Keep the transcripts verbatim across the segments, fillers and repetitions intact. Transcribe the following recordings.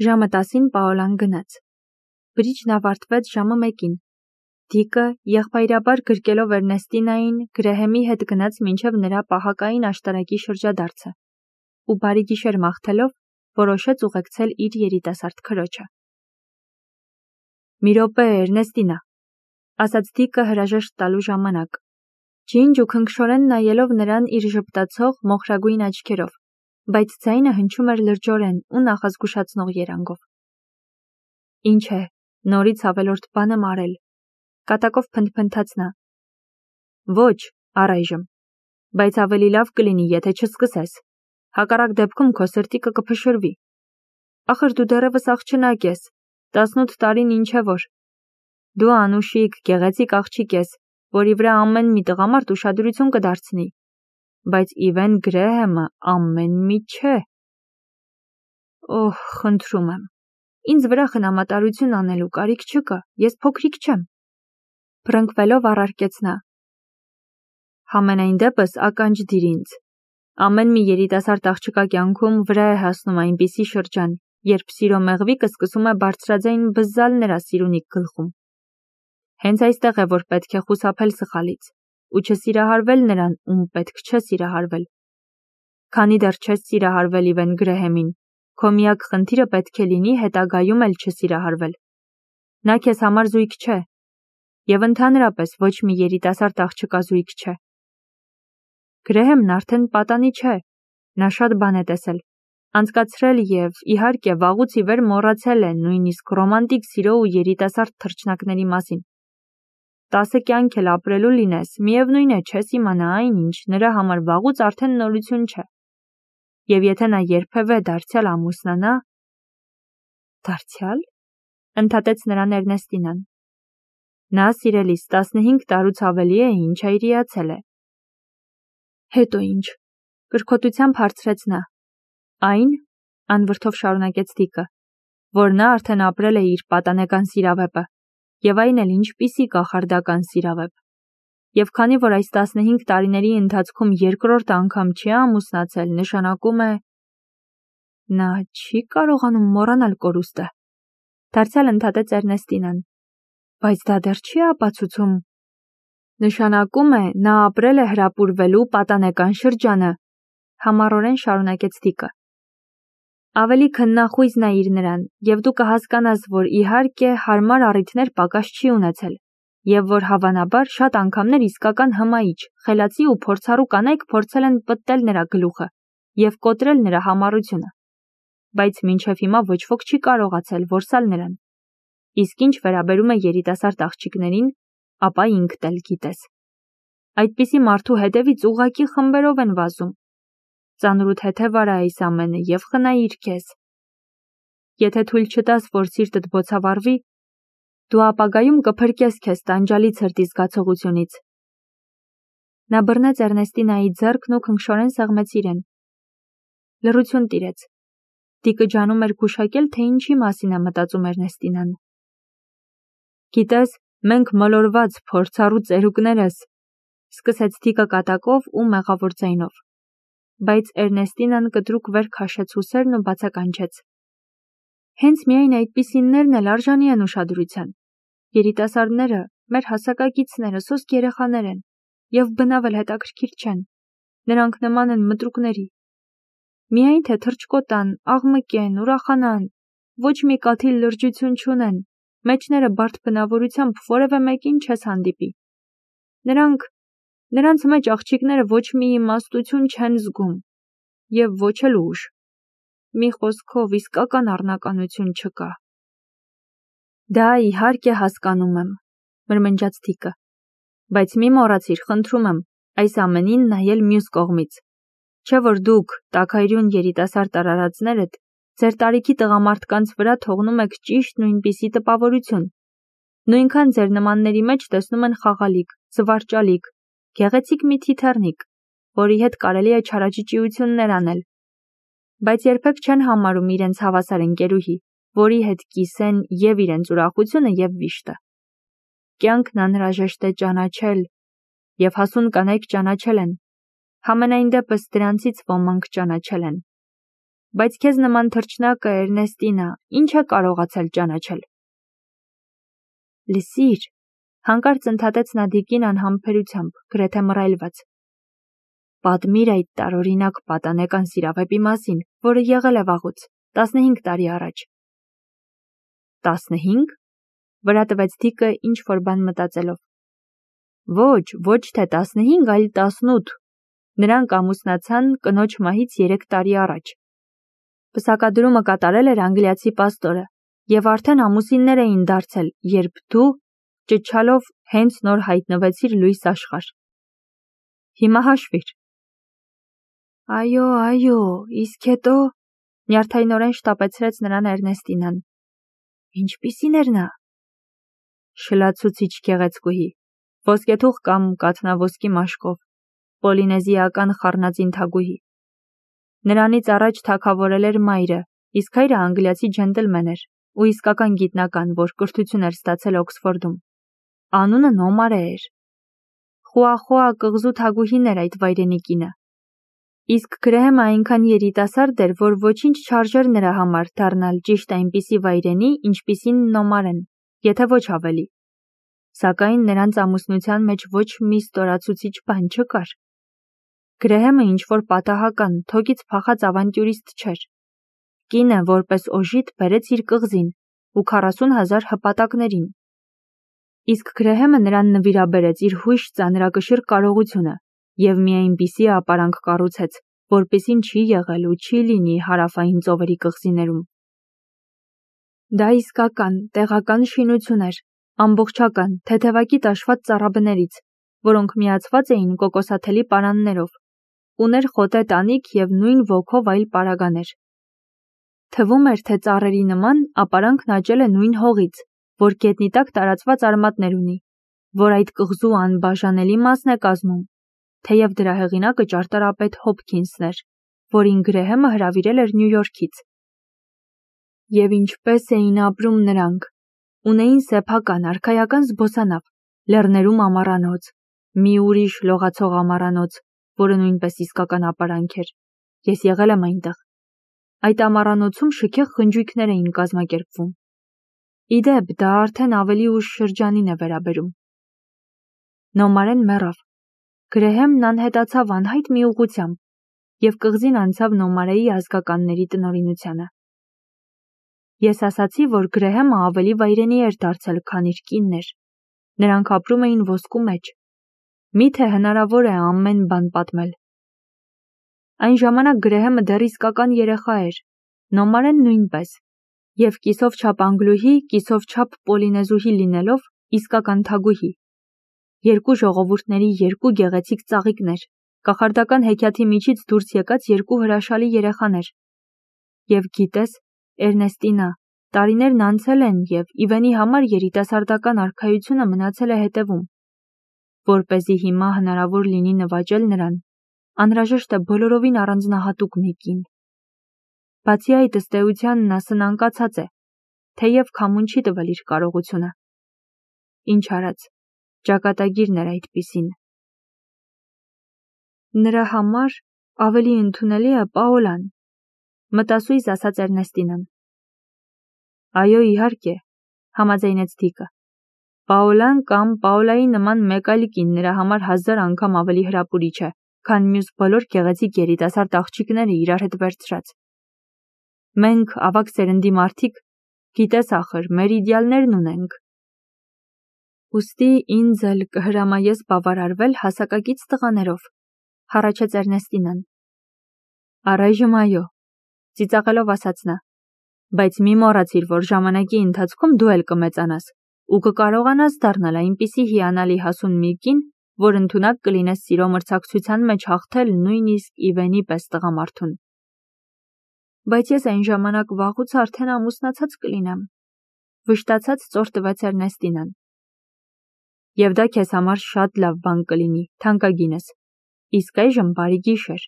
Ժամը տասին Պաոլան գնաց։ Բրիջն ավարտվեց ժամը մեկին։ Դիկը եղբայրաբար գրկելով Էրնեստինային Գրեհեմի հետ գնաց մինչև նրա պահակային աշտարակի շրջադարձը ու բարի գիշեր մաղթելով որոշեց ուղեկցել իր երիտասարդ քրոջը։ «Մի րոպե, Էրնեստինա», ասաց Դիկը հրաժեշտ տալու ժամանակ, ջինջ ու քնքշորեն նայելով նրան իր ժպտացող մոխրագույն աչքերով, բայց ձայնը հնչում էր լրջորեն ու նախազգուշացնող երանգով։ «Ինչ է, նորից ավելորդ բան եմ արել», կատակով փնթփնթաց նա։ «Ոչ, առայժմ, բայց ավելի լավ կլինի, եթե չսկսես, հակառակ դեպքում քո սրտիկը կփշրվի։ Ախր դու դեռևս աղջնակ ես, տասնութ տարին ինչ է որ։ Դու անուշիկ, գեղեցիկ աղջիկ ես, որի վրա ամեն մի տղամարդ ուշադրություն կդարձնի, բայց Իվեն Գրեհեմը ամեն մի չէ։ Օհ, խնդրում եմ, ինձ վրա խնամատարություն անելու կարիք չկա, ես փոքրիկ չեմ», փռնկվելով առարկեց նա։ «Համենայն դեպս ականջ դիր ինձ։ Ամեն մի երիտասարդ աղջկա կյանքում վրա է հասնում այնպիսի շրջան, երբ սիրո մեղվիկը սկսում է բարձրաձայն բզզալ նրա սիրունիկ գլխում։ Հենց այստեղ է, որ պետք է խուսափել սխալից ու չսիրահարվել նրան, ում պետք չէ սիրահարվել։ Քանի դեռ չես սիրահարվել Իվեն Գրեհեմին, քո միակ խնդիրը պետք է լինի հետագայում էլ չսիրահարվել։ Նա քեզ համար զույգ չէ, և ընդհանրապես ոչ մի երիտասարդ աղջկա զույգ չէ։ Գրեհեմն արդեն պատանի չէ, նա շատ բան է տեսել, անցկացրել և, իհարկե, վաղուց ի վեր մոռացել է նույնիսկ ռոմանտիկ սիրո ու երիտասարդ թռչնակների մասին։ Տասը կյանք էլ ապրելու լինես, միևնույն է չես իմանա այն, ինչ նրա համար վաղուց արդեն նորություն չէ։ Եվ եթե նա երբևէ դարձյալ ամուսնանա… Դարձյալ… ընդհատեց նրան Էրնեստինան։ Նա սիրելիս տասնհինգ տարուց ավելի է, ինչ այրիացել է։ Հետո ինչ… կրքոտությամբ հարցրեց նա։ Այն, անվրդով շարունակեց Դիկը, որ նա արդեն ապրել է իր պատանեկան սիրավեպը, և այն էլ ինչպիսի կախարդական սիրավեպ։ Եվ քանի որ այս տասնհինգ տարիների ընթացքում երկրորդ անգամ չի ամուսնացել, նշանակում է… Նա չի կարողանում մոռանալ կորուստը, դարձյալ ընդհատեց Էրնեստինան։ Բայց դա դեռ չի ապացուցում… Նշանակում է, նա ապրել է հրապուրվելու պատանեկան շրջանը, համառորեն շարունակեց Դիկը։ Ավելի քննախույզ նայիր նրան, և դու կհասկանաս, որ իհարկե հարմար առիթներ պակաս չի ունեցել, և որ հավանաբար շատ անգամներ իսկական հմայիչ, խելացի ու փորձառու կանայք փորձել են պտտել նրա գլուխը և կոտրել նրա համառությունը, բայց մինչև հիմա ոչ ոք չի կարողացել որսալ նրան։ Իսկ ինչ վերաբերում է երիտասարդ աղջիկներին, ապա ինքդ էլ գիտես։ Այդպիսի մարդու հետևից ուղղակի խմբերով են վազում։ Ծանրութ հետև արա այս ամենը և խնայիր քեզ։ Եթե թույլ չտաս, որ սիրտդ բոցավառվի, դու ապագայում կփրկես քեզ տանջալի ցրտի զգացողությունից։ Նա բռնեց Էրնեստինայի ձեռքն ու քնքշորեն սեղմեց իրեն։ Լռություն տիրեց։ Դիկը ջանում էր գուշակել, թե ինչի մասին է մտածում Էրնեստինան։ Գիտես, մենք մոլորված, փորձառու ծերուկներս, սկսեց Դիկը կատակով ու մեղավոր ձայնով, բայց Էրնեստինան կտրուկ վեր քաշեց ուսերն ու բացականչեց. Հենց միայն այդպիսիններն էլ արժանի են ուշադրության։ Երիտասարդները, մեր հասակակիցները սոսկ երեխաներ են և բնավ էլ հետաքրքիր չեն։ Նրանք նման են մտրուկների։ Միայն թե թռչկոտան, աղմկեն, ուրախանան, ոչ մի կաթիլ լրջություն չունեն, մեջները բարդ բնավորությամբ որևէ մեկին չես հանդիպի։ Նրանք… նրանց մեջ աղջիկները ոչ մի իմաստություն չեն զգում և ոչ էլ ուժ։ Մի խոսքով, իսկական առնականություն չկա։ Դա իհարկե հասկանում եմ, մրմնջաց Դիկը, բայց մի մոռացիր, խնդրում եմ, այս ամենին նայել մյուս կողմից, չէ որ դուք, տաքայրուն երիտասարդ արարածներդ, ձեր տարիքի տղամարդկանց վրա թողնում եք ճիշտ նույնպիսի տպավորություն։ Նույնքան ձեր նմանների մեջ տեսնում են խաղալիք, զվարճալիք, գեղեցիկ մի թիթեռնիկ, որի հետ կարելի է չարաճճիություններ անել, բայց երբեք չեն համարում իրենց հավասար ընկերուհի, որի հետ կիսեն և իրենց ուրախությունը և վիշտը։ Կյանքն անհրաժեշտ է ճանաչել, և հասուն կանայք ճանաչել են, համենայն դեպս դրանցից ոմանք ճանաչել են։ բայց քեզ նման թռչնակը Էրնեստինա, ինչ է կարողացել ճանաչել։ Լսիր, հանկարծ ընդհատեց նա Դիկին անհամբերությամբ, գրեթե մռայլված։ Պատմիր այդ տարօրինակ պատանեկան սիրավեպի մասին, որը եղել է վաղուց, տասնհինգ տարի առաջ։ Տասնհինգ։ Վրա տվեց Դիկը ինչ-որ բան մտածելով։ Ոչ, ոչ թե տասնհինգ, այլ տասնութ։ Նրանք ամուսնացան կնոջ մահից երեք տարի առաջ։ Պսակադրումը կատարել էր անգլիացի պաստորը, եւ արդեն ամուսիններ էին դարձել, երբ դու, ճչալով, հենց նոր հայտնվեցիր լույս աշխարհ։ Հիմա հաշվիր։ Այո, այո, իսկ հետո, նյարդայնորեն շտապեցրեց նրան Էրնեստինան։ Ինչպիսին էր նա։ Շլացուցիչ գեղեցկուհի, ոսկեթուղ կամ կաթնավորսկի մաշկով, պոլինեզիական խառնածին թագուհի։ Նրանից առաջ թագավորել էր մայրը, իսկ հայրը անգլիացի ջենտլմեն էր ու իսկական գիտնական, որ կրթություն էր ստացել Օքսֆորդում։ Անունը Նոմարե էր։ Խուախուա կղզու թագուհին էր այդ վայրենի կինը։ Իսկ Գրեհեմը այնքան երիտասարդ էր, որ ոչինչ չարժեր նրա համար դառնալ ճիշտ այնպիսի վայրենի, ինչպիսին Նոմարեն, եթե ոչ ավելի։ Սակայն նրանց ամուսնության մեջ ոչ մի ստորացուցիչ բան չկար։ Գրեհեմը ինչ-որ պատահական, թոկից փախած ավանտյուրիստ չէր։ Կինը, որպես օժիտ, բերեց իր կղզին ու քառասուն հազար հպատակներին։ Իսկ Գրեհեմը նրան նվիրաբերեց իր հույժ ծանրակշիռ կարողությունը եւ մի այնպիսի ապարանք կառուցեց, որպիսին չի եղել ու չի լինի հարավային ծովերի կղզիներում։ Դա իսկական, տեղական շինություն էր, ամբողջական, թեթևակի տաշված ծառաբներից, որոնք միացված էին կոկոսաթելի պարաններով, ուներ խոտե տանիք եւ նույն ոգով այլ պարագաներ։ Թվում էր, թե ծառերի նման ապարանքն աճել է նույն հողից, որ գետնի տակ տարածված արմատներ ունի, որ այդ կղզու անբաժանելի մասն է կազմում, թեև դրա հեղինակը ճարտարապետ Հոփքինսն էր, որին Գրեհեմը հրավիրել էր Նյու Յորքից։ Եվ ինչպես էին ապրում նրանք։ Ունեին սեփական, արքայական զբոսանավ, լեռներում ամառանոց, մի ուրիշ լողացող ամառանոց, որը նույնպես իսկական ապարանք էր։ Ես եղել եմ այնտեղ։ Այդ ամառանոցում շքեղ խնջույքներ էին կազմակերպվում։ Իդեպ, դա արդեն ավելի ուշ շրջանին է վերաբերում։ Նոմարեն մեռավ։ Գրեհեմն անհետացավ անհայտ մի ուղղությամբ, եւ կղզին անցավ Նոմարեի ազգականների տնօրինությանը։ Ես ասացի, որ Գրեհեմը ավելի վայրենի էր դարձել, քան իր կինն էր։ Նրանք ապրում էին ոսկու մեջ։ Միթե հնարավոր է ամեն բան պատմել։ Այն ժամանակ Գրեհեմը դեռ իսկական երեխա էր, Նոմարեն նույնպես, եւ կիսով չափ անգլուհի, կիսով չափ պոլինեզուհի լինելով իսկական թագուհի։ Երկու ժողովուրդների երկու գեղեցիկ ծաղիկներ, կախարդական հեքիաթի միջից դուրս եկած երկու հրաշալի երեխաներ։ Եվ գիտես, Էրնեստինա, տարիներն անցել են եւ Իվենի համար երիտասարդական արքայությունը մնացել է հետևում։ Որպեսզի հիմա հնարավոր լինի նվաճել նրան, անհրաժեշտ է բոլորովին առանձնահատուկ մի կին։ Բացի այդ, ըստ էության նա սնանկացած է, թեև քամուն չի տվել իր կարողությունը։ Ինչ արած, ճակատագիրն էր այդպիսին։ Նրա համար ավելի ընդունելի է Պաոլան, մտասույզ ասաց Էրնեստինան։ Այո, իհարկե, համաձայնեց Դիկը։ Պաոլան կամ Պաոլայի նման մեկ այլ կին նրա համար հազար անգամ ավելի հրապուրիչ է, քան մյուս բոլոր գեղեցիկ երիտասարդ աղջիկները իրար հետ վերցրած։ Մենք, ավագ սերնդի մարդիկ, գիտես ախր, մեր իդեալներն ունենք։ Ուստի ինձ էլ կհրամայես բավարարվել հասակակից տղաներով, հառաչեց Էրնեստինան։ Առայժմ այո, ծիծաղելով ասաց նա, բայց մի մոռացիր, որ ժամանակի ընթացքում դու էլ կմեծանաս ու կկարողանաս դառնալ այնպիսի հիանալի հասուն մի կին, որ ընդունակ կլինես սիրո մրցակցության մեջ հաղթել նույնիսկ Իվենի պես տղամարդուն։ Բայց ես այն ժամանակ վաղուց արդեն ամուսնացած կլինեմ, վշտացած ծոր տվեց Էրնեստինան։ Եվ դա քեզ համար շատ լավ բան կլինի, թանկագինս, իսկ այժմ բարի գիշեր,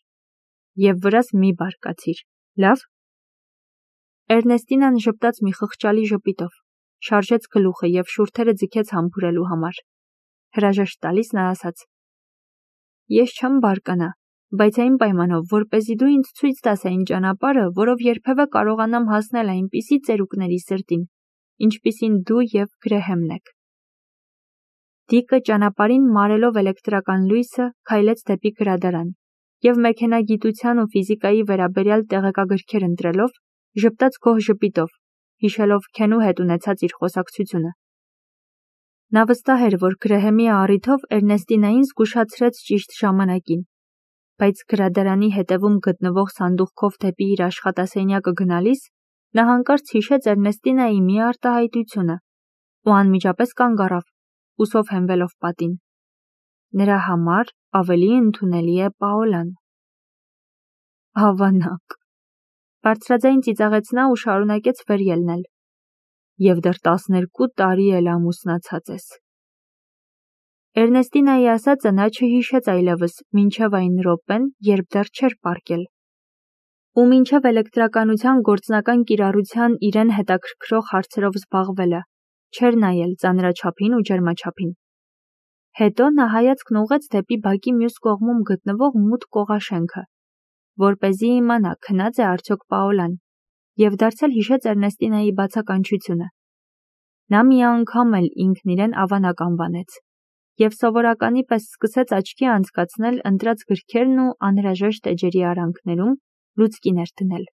եւ վրաս մի բարկացիր, լավ։ Էրնեստինան ժպտաց մի խղճալի ժպիտով, շարժեց գլուխը եւ շուրթերը ձգեց համբուրելու համար։ Հրաժեշտ տալիս նա ասաց. Ես չեմ բարկանա, բայց այն պայմանով, որպեսզի դու ինձ ցույց տաս այն ճանապարհը, որով երբևէ կարողանամ հասնել այնպիսի ծերուկների սրտին, ինչպիսին դու և Գրեհեմն եք։ Դիկը ճանապարհին մարելով էլեկտրական լույսը քայլեց դեպի գրադարան և մեքենագիտության ու ֆիզիկայի վերաբերյալ տեղեկագրքեր ընտրելով, ժպտաց գոհ ժպիտով, հիշելով Քենու հետ ունեցած իր խոսակցությունը։ Նա վստահ էր, որ Գրեհեմի առիթով Էրնեստինային զգուշացրեց ճիշտ ժամանակին, բայց գրադարանի հետևում գտնվող սանդուղքով դեպի իր աշխատասենյակը գնալիս նա հանկարծ հիշեց Էրնեստինայի մի արտահայտությունը ու անմիջապես կանգ առավ, ուսով հենվելով պատին։ Նրա համար ավելի ընդունելի է Պաոլան։ Ավանակ, բարձրաձայն ծիծաղեց նա ու շարունակեց վեր ելնել։ Եվ դեռ տասներկու տարի էլ ամուսնացած ես։ Էրնեստինայի ասածը նա չհիշեց այլևս մինչև այն րոպեն, երբ դեռ չէր պառկել։ Ու մինչև էլեկտրականության գործնական կիրառության իրեն հետաքրքրող հարցերով զբաղվելը, չէր նայել ծանրաչափին ու ջերմաչափին։ Հետո նա հայացքն ուղղեց դեպի բակի մյուս կողմում գտնվող մութ կողաշենքը, որպեսզի իմանա քնած է արդյոք Պաոլան, և դարձյալ հիշեց Էրնեստինայի բացականչությունը։ Նա մի անգամ էլ ինքն իրեն ավանակ անվանեց և սովորականի պես սկսեց աչքի անցկացնել ընտրած գրքերն ու անհրաժեշտ էջերի արանքներում լուցկիներ դնել։